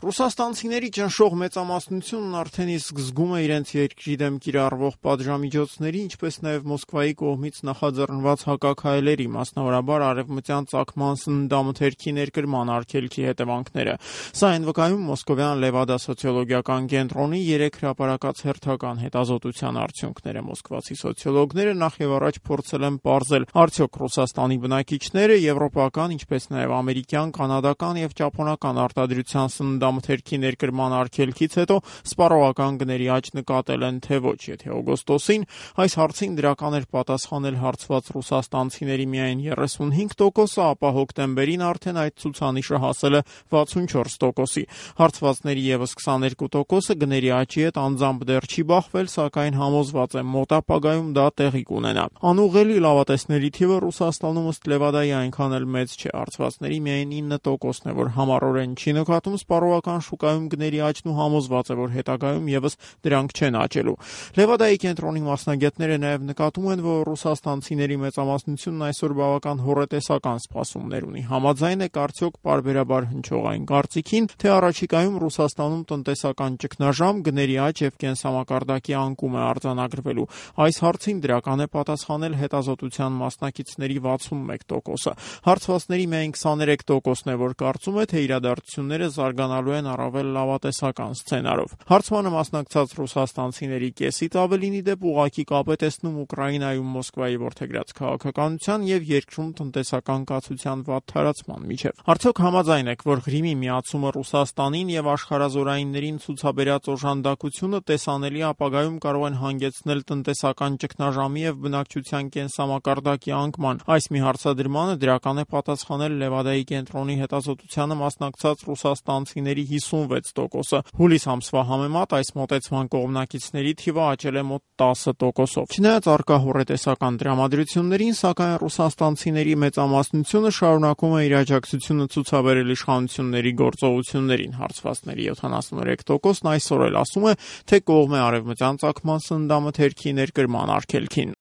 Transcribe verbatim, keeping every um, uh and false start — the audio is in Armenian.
Ռուսաստանցիների ճնշող մեծամասնությունն արդեն իսկ զգում է իրենց երկրի դեմ կիրառվող պատժամիջոցների, ինչպես նաև Մոսկվայի կողմից նախաձեռնված հակաքայլերի, մասնավորաբար արևմտյան ծագման սննդամթերքի ներկրման արգելքի հետևանքները։ Սա այն վկայում մոսկովյան Լևադա սոցիոլոգիական կենտրոնի երեք հրապարակած հերթական հետազոտության արդյունքները։ Մոսկվացի սոցիոլոգները նախ եւ առաջ փորձել են պարզել, արդյոք Ռուսաստանի բնակիչները եվրոպական, ինչպես նաև ամերիկյան, կանադական եւ ճապոնական արտադրության սննդամթերքի ներկրման արգելքից հետո սպառողական գների աճ նկատել են, թե ոչ։ Եթե օգոստոսին այս հարցին դրական էր պատասխանել հարցված ռուսաստանցիների միայն երեսունհինգ տոկոսը, ապա հոկտեմբերին արդեն այդ ցուցանիշը հասել է վաթսունչորս տոկոսի։ Հարցվածների եւս քսաներկու տոկոսը գների աճի հետ անձամբ դեռ չի բախվել, սակայն համոզված է մոտ ապագայում դա տեղի կունենա։ Անուղղելի լավատեսների թիվը Ռուսաստանում ըստ Լևադայի այնքան էլ մեծ չէ։ Հարցվածների միայն ինը տոկոսն է, որ համառորեն չի նկատում սպառողական շուկայում գների աճն ու համոզված է, որ հետագայում եւս դրանք չեն աճելու։ Լևադայի կենտրոնի մասնագետները նաեւ նկատում են, որ ռուսաստանցիների մեծամասնությունն այսօր բավական հոռետեսական սպասումներ ունի։ Համաձայն եք արդյոք պարբերաբար հնչող այն կարծիքին, թե առաջիկայում Ռուսաստանում տնտեսական ճգնաժամ, գների աճ եւ կենսամակարդակի անկում է արձանագրվելու։ Այս հարցին դրական է պատասխանել հետազոտության մասնակիցների վաթսունմեկ տոկոսը։ Հարցվածների միայն քսաներեք տոկոսն է, որ կարծում է, թե իրադարձությունները զարգանալու են առավել լավատեսական սցենարով։ Հարցմանը մասնակցած ռուսաստանցիների կեսից ավելինի դեպ ուղղակի կապ է տեսնում Ուկրաինայում Մոսկվայի որդեգրած քաղաքականության եւ երկրում տնտեսական կացության վատ թարացման միջեւ։ Արդյոք համաձայն եք, որ Ղրիմի միացումը Ռուսաստանին եւ աշխարհազորայիններին ցուցաբերած օժանդակությունը տեսանելի ապագայում կարող են հանգեցնել տնտեսական ճգնաժամի եւ բնակչության կենսամակարդակի անկման։ Այս մի հարցադրմանը դրական է պատասխանել Լևադայի կենտրոնի հետազոտությանը մասնակցած ռուսաստանցիների հիսունվեց տոկոսը։ Հուլիս ամսվա համեմատ այս մոտեցման կողմնակիցների թիվը աճել է մոտ տասը տոկոսով։ Չնայած առկա հոռետեսական տրամադրություններին, սակայն ռուսաստանցիների մեծամասնությունը շարունակում է իր աջակցությունը ցուցաբերել իշխանությունների գործողություններին։ Հարցվածների յոթանասուներեք տոկոսն այսօր էլ ասում է, թե կողմ է արևմտյան ծագման սննդամթերքի ներկրման արգելքին։